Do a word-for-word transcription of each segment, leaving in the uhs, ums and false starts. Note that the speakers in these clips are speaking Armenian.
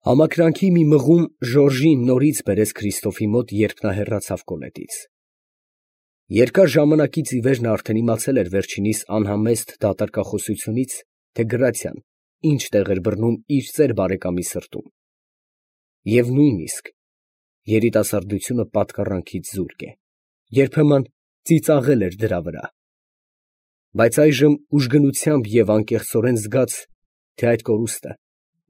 Համակրանքի մի մղում Ժորժին նորից բերեց Քրիստոֆի մոտ, երբ նա հեռացավ կոլետից. երկար ժամանակից ի վեր նա արդեն իմացել էր վերջինիս անհամեստ դատարկախոսությունից, թե Գրացիան ինչ տեղ էր բռնում իր ծեր բարեկամի սրտում, և նույնիսկ երիտասարդությունը պատկառանքից զուրկ է, երբեմն ծիծաղել էր դրա վրա, բայց այժմ ուժգնությամբ և անկեղծորեն զգաց, թե այդ կորուստը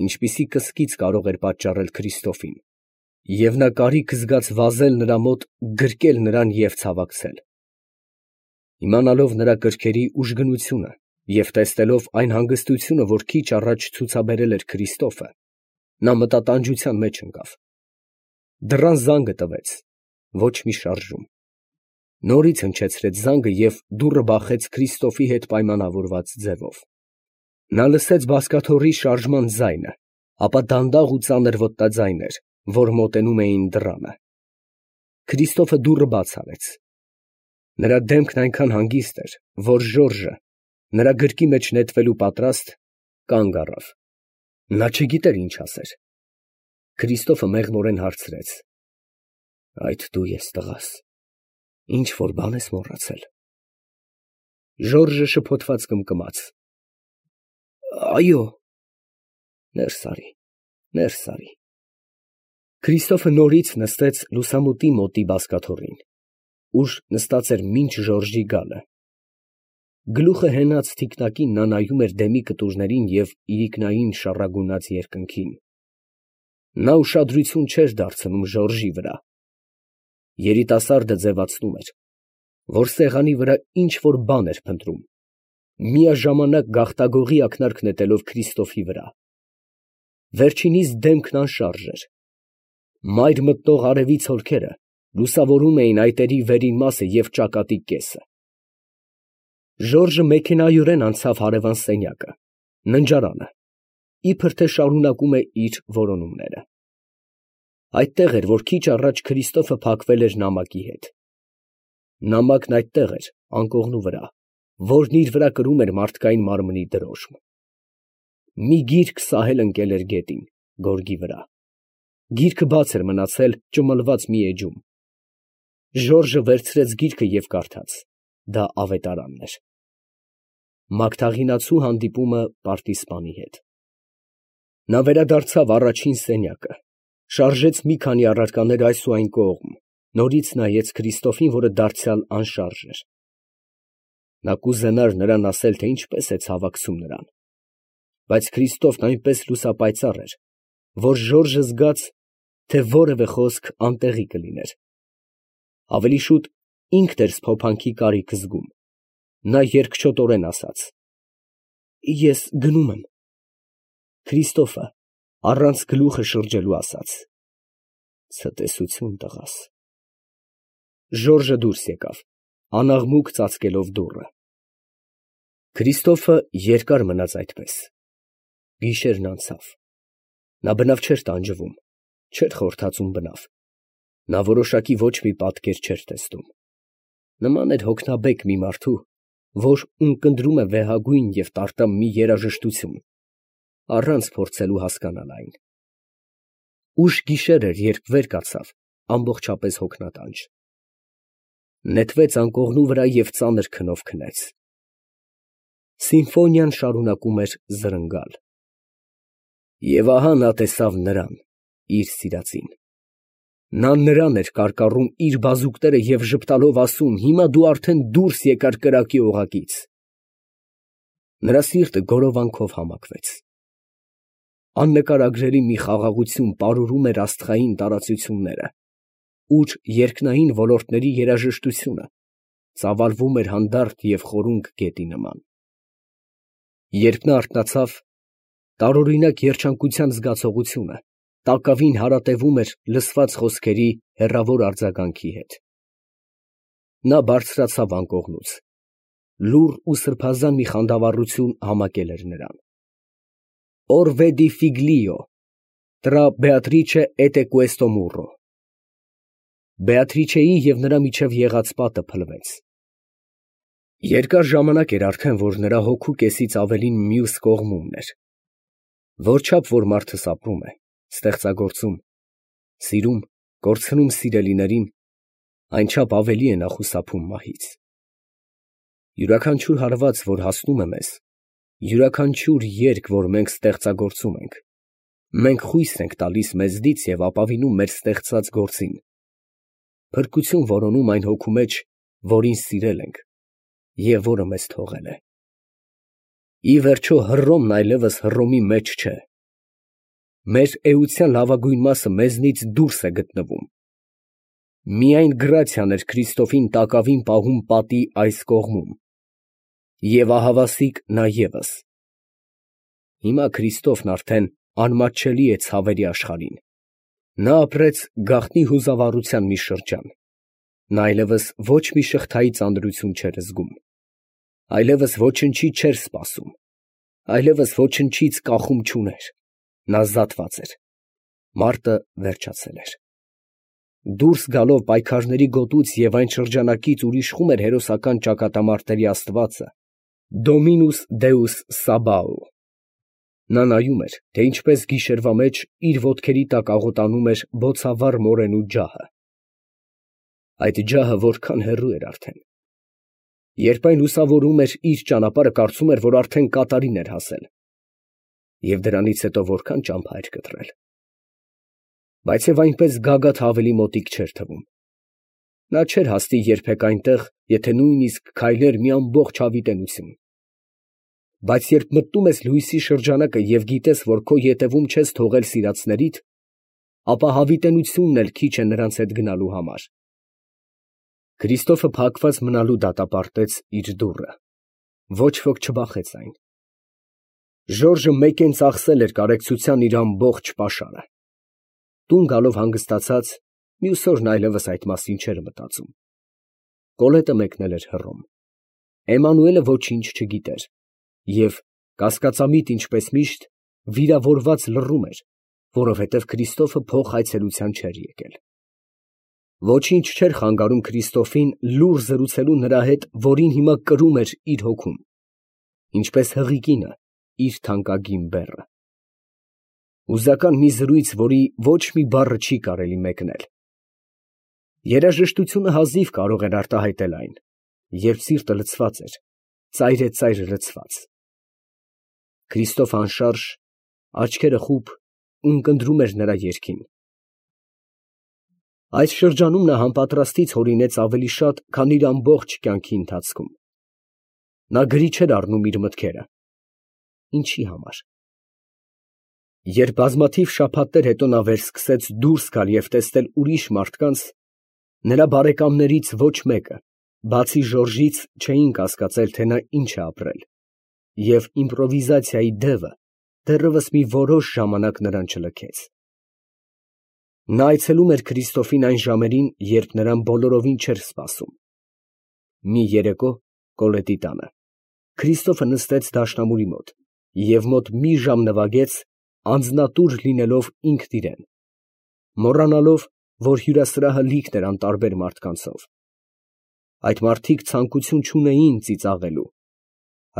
ինչպիսի կսկիծ կարող էր պատճառել Քրիստոֆին, և նա կարիք զգաց վազել նրա մոտ, գրկել նրան և ցավակցել։ Իմանալով նրա կրքերի ուժգնությունը և տեսնելով այն հանգստությունը, որ քիչ առաջ ցուցաբերել էր Քրիստոֆը, նա մտատանջության մեջ ընկավ։ Դռան զանգը տվեց, ոչ մի շարժում։ Նորից հնչեցրեց զանգը և դուռը բախեց Քրիստոֆի հետ պայմանավորված ձևով։ Նա լսեց բազկաթոռի շարժման ձայնը, ապա դանդաղ ու ծանր ոտնաձայներ, որ մոտենում էին դռանը։ Քրիստոֆը դուռը բաց արեց։ Նրա դեմքն այնքան հանգիստ էր, որ Ժորժը, նրա գրկի մեջ նետվելու պատրաստ, կանգ առավ։ Նա չգիտեր ինչ ասեր։ Քրիստոֆը մեղմորեն հարցրեց. «Այդ դու ես, տղա՛ս, ինչ֊որ բան ես մոռացել»։ Ժորժը շփոթված կմկմաց. «Այո»։ Ներս արի, ներս արի։ Քրիստոֆը նորից նստեց լուսամուտի մոտի բազկաթոռին, ուր նստած էր մինչ Ժորժի գալը։ Գլուխը հենած թիկնակին նա նայում էր դեմի կտուրներին և իրիկնային շառագունած երկնքին։ Նա ուշադրություն չէր դարձնում Ժորժի վրա։ Երիտասարդը ձևացնում էր, որ սեղանի վրա ինչ֊որ բան էր փնտրում, միաժամանակ գաղտագողի ակնարկ նետելով Քրիստոֆի վրա։ Վերջինիս դեմքն անշարժ էր։ Մայր մտնող արևի ցոլքերը լուսավորում էին այտերի վերին մասը և ճակատի կեսը։ Ժորժը մեքենայորեն անցավ հարևան սենյակը, ննջարանը, իբր թե շարունակում է իր որոնումները։ Այդտեղ էր, որ քիչ առաջ Քրիստոֆը փակվել էր նամակի հետ։ Նամակն այդտեղ էր, անկողնու վրա, որն իր վրա կրում էր մարդկային մարմնի դրոշմ։ Մի գիրք սահել ընկել էր գետին, գորգի վրա։ Գիրքը բաց էր մնացել ճմլված մի էջում։ Ժորժը վերցրեց գիրքը և կարդաց. դա ավետարանն էր։ Մագդաղինացու հանդիպումը պարտիզպանի հետ։ Նա վերադարձավ առաջին սենյակը, շարժեց մի քանի առարկաներ այս ու այն կողմ, նորից նայեց Քրիստոֆին, որը դարձյալ անշարժ էր։ Նա կուզենար նրան ասել, թե ինչպես է ցավակցում նրան, բայց Քրիստոֆն այնպես լուսապայծառ էր, որ Ժորժը զգաց, թե որևէ խոսք անտեղի կլիներ։ Ավելի շուտ ինքն էր սփոփանքի կարիք զգում։ Նա երկչոտորեն ասաց. «Ես գնում եմ»։ Քրիստոֆը առանց գլուխը շրջելու ասաց. «Ցտեսություն, տղա՛ս»։ Ժորժը դուրս եկավ, անաղմուկ ծածկելով դուռը։ Քրիստոֆը երկար մնաց այդպես։ Գիշերն անցավ։ Նա բնավ չէր տանջվում, չէր խորթացում բնավ։ Նա որոշակի ոչ մի պատկեր չէր տեսնում։ Նման էր հոգնաբեկ մի մարդու, որ ունկնդրում է վեհագույն և տարտամ մի երաժշտություն, առանց փորձելու հասկանալ այն։ Ուշ գիշեր էր, երբ վեր կացավ ամբողջապես հոգնատանջ։ Նետվեց անկողնու վրա և ծանր քնով քնեց։ Սիմֆոնիան շարունակում էր զրնգալ։ Եվ ահա նա տեսավ նրան, իր սիրածին։ Նա նրան էր կարկառում իր բազուկները և ժպտալով ասում. «Հիմա դու արդեն դուրս եկար կրակի օղակից»։ Նրա սիրտը գորովանքով համակվեց։ Աննկարագրելի մի խաղաղություն պարուրում էր աստղային տարածությունները, ուր երկնային ոլորտների երաժշտությունը ծավալվում էր հանդարտ և խորունկ գետի նման։ Երբ նա արթնացավ, տարօրինակ երջանկության զգացողությունը տակավին հարատևում էր լսված խոսքերի հեռավոր արձագանքի հետ։ Նա բարձրացավ անկողնուց։ Լուռ ու սրբազան մի խանդավառություն համակել էր նրան։ «Or vedi figlio, tra Beatrice et questo muro»։ Բեատրիչեի և նրա միջև եղած պատը փլվեց։ Երկար ժամանակ էր արդեն, որ նրա հոգու կեսից ավելին մյուս կողմումն էր։ Որչափ որ մարդս ապրում է, ստեղծագործում, սիրում, կորցնում սիրելիներին, այնչափ ավելի է նա խուսափում մահից։ Յուրաքանչյուր հարված, որ հասնում է մեզ, յուրաքանչյուր երգ, որ մենք ստեղծագործում ենք, մենք խույս ենք տալիս մեզնից և ապավինում մեր ստեղծած գործին, փրկություն որոնում այն հոգու մեջ, որին սիրել ենք և որը մեզ թողել է։ Ի վերջո Հռոմն այլևս Հռոմի մեջ չէ։ Մեր էության լավագույն մասը մեզնից դուրս է գտնվում։ Միայն գրացիան էր Քրիստոֆին տակավին պահում պատի այս կողմում, և ահավասիկ նա ևս։ Հիմա Քրիստոֆն արդեն անմատչելի է ցավերի աշխարհին։ Նա ապրեց գաղտնի հուզավառության մի շրջան։ Նա այլևս ոչ մի շղթայի ծանրություն չէր զգում, այլևս ոչնչի չէր սպասում, այլևս ոչնչից կախում չուներ։ Նա զատված էր։ Մարտը վերջացել էր։ Դուրս գալով պայքարների գոտուց և այն շրջանակից, ուր իշխում էր հերոսական ճակատամարտերի աստվածը, Dominus Deus Sabaoth, նա նայում էր, թե ինչպես գիշերվա մեջ իր ոտքերի տակ աղոտանում էր բոցավառ մորենու ջահը։ Այդ ջահը որքան հեռու էր արդեն։ Երբ այն լուսավորում էր իր ճանապարհը, կարծում էր, որ արդեն կատարին էր հասել, և դրանից հետո որքան ճամփա էր կտրել։ Բայց և այնպես գագաթը ավելի մոտիկ չէր թվում։ Նա չէր հասնի երբեք այնտեղ, եթե նույնիսկ քայլեր մի ամբողջ հավիտենություն։ Բայց երբ մտնում ես լույսի շրջանակը և գիտես, որ քո ետևում չես թողել սիրածներիդ, ապա հավիտենությունն էլ քիչ է նրանց հետ գնալու համար։ Քրիստոֆը փակված մնալու դատապարտեց իր դուռը։ Ոչ ոք չբախեց այն։ Ժորժը մեկեն ծախսել էր կարեկցության իր ամբողջ պաշարը։ Տուն գալով հանգստացած, մյուս օրն այլևս այդ մասին չէր մտածում։ Կոլետը մեկնել էր Հռոմ։ Էմանուելը ոչինչ չգիտեր և, կասկածամիտ ինչպես միշտ, վիրավորված լռում էր, որովհետև Քրիստոֆը փոխ այցելության չէր եկել։ Ոչինչ չէր խանգարում Քրիստոֆին լուռ զրուցելու նրա հետ, որին հիմա կրում էր իր հոգում, ինչպես հղի կինը իր թանկագին բեռը։ Հուզական մի զրույց, որի ոչ մի բառը չի կարելի մեկնել։ Երաժշտությունը հազիվ կարող էր արտահայտել այն, երբ սիրտը լցված էր, ծայրեծայր լցված։ Քրիստոֆը անշարժ, աչքերը խուլ, ունկնդրում էր նրա երգին։ Այս շրջանում նա համապատրաստից հորինեց ավելի շատ, քան իր ամբողջ կյանքի ընթացքում։ Նա գրի չէր առնում իր մտքերը։ Ինչի համար։ Երբ բազմաթիվ շաբաթներ հետո նա վերսկսեց դուրս գալ և տեսնել ուրիշ մարդկանց, նրա բարեկամներից ոչ մեկը, բացի Ժորժից, չէին կասկածել, թե նա ինչ է ապրել, և իմպրովիզացիայի դևը դեռևս մի որոշ ժամանակ նրան չլքեց։ Նա այցելում էր Քրիստոֆին այն ժամերին, երբ նրան բոլորովին չէր սպասում։ Մի երեկո Կոլետի տանը Քրիստոֆը նստեց դաշնամուրի մոտ և մոտ մի ժամ նվագեց, անձնատուր լինելով ինքն իրան, մոռանալով, որ հյուրասրահը լիքն էր անտարբեր մարդկանցով։ Այդ մարդիկ ցանկություն չունեին ծիծաղելու։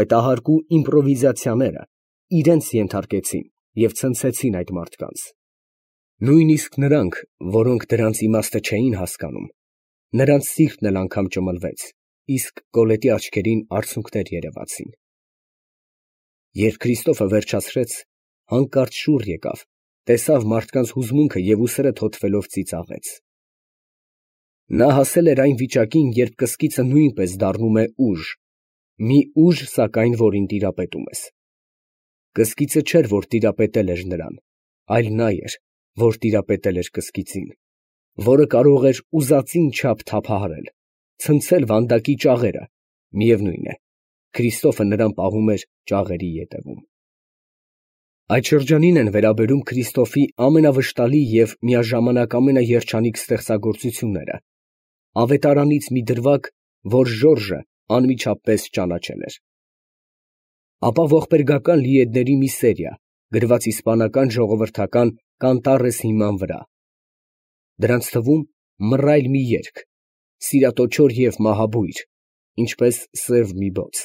Այդ ահարկու իմպրովիզացիաները իրենց ենթարկեցին և ցնցեցին այդ մարդկանց։ Նույնիսկ նրանք, որոնք դրանց իմաստը չէին հասկանում, նրանց սիրտն էլ անգամ ճմլվեց, իսկ Կոլետի աչքերին արցունքներ երևացին։ Երբ Քրիստոֆը վերջացրեց, հանկարծ շուռ եկավ, տեսավ մարդկանց հուզմունքը և ուսերը թոթվելով ծիծաղեց։ Նա հասել էր այն վիճակին, երբ կսկիցը նույնպես դառնում է ուժ, մի ուժ, սակայն, որին տիրապետում ես։ Կսկիցը չէր, որ տիրապետել էր նրան, այլ նա էր, որ տիրապետել էր կսկիծին, որը կարող էր ուզածին չափ թափահարել, ցնցել վանդակի ճաղերը, միևնույն է, Քրիստոֆը նրան պահում էր ճաղերի ետևում։ Այդ շրջանին են վերաբերում Քրիստոֆի ամենավշտալի և միաժամանակ ամենաերջանիկ ստեղծագործությունները, ավետարանից մի դրվագ, որ Ժորժը անմիջապես ճանաչել էր։ Ապա ողբերգական լիեդների մի սերիա, գրված իսպանական ժողովրդական կանտարես հիման վրա։ Դրանց թվում մռայլ մի երգ, սիրատոչոր և մահաբույր, ինչպես սև մի բոց,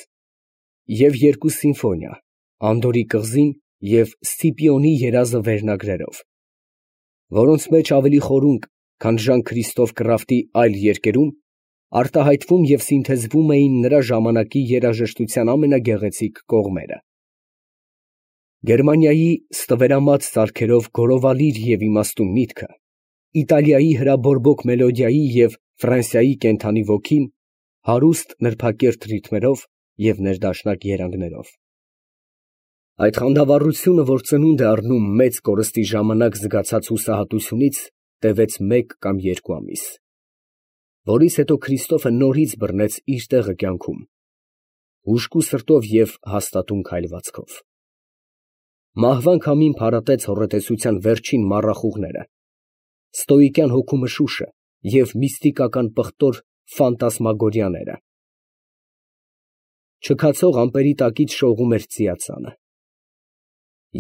և երկու սիմֆոնիա, Անդորի կղզին և Սցիպիոնի երազը վերնագրերով, որոնց մեջ ավելի խորունկ, քան Ժան Քրիստոֆ Կրաֆտի այլ երկերում, արտահայտվում և սինթեզվում էին նրա ժամանակի երաժշտության ամենագեղեցիկ կողմերը։ Գերմանիայի ստվերամած սարքերով գորովալիր և իմաստուն միտքը, Իտալիայի հրաբորբոք մելոդիայի և Ֆրանսիայի կենդանի ոգին, հարուստ նրբակերտ ռիթմերով և ներդաշնակ երանգներով։ Այդ խանդավառությունը, որ ծնունդ է առնում մեծ կորստի ժամանակ զգացած հուսահատությունից, տևեց մեկ կամ երկու ամիս, որից հետո Քրիստոֆը նորից բռնեց իր տեղը կյանքում, հուժկու սրտով և հաստատուն քայլվածքով։ Մահվան քամին փարատեց հոռետեսության վերջին մառախուղները, ստոիկյան հոգու մշուշը և միստիկական պղտոր ֆանտասմագորիաները։ Չքացող ամպերի տակից շողում էր ծիածանը։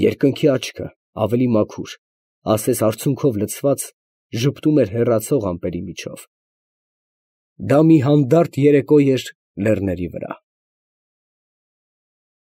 Երկնքի աչքը, ավելի մաքուր, ասես արցունքով լցված, ժպտում էր հեռացող ամպերի միջով։ Դա մի հանդարտ երեկո էր լեռների վրա։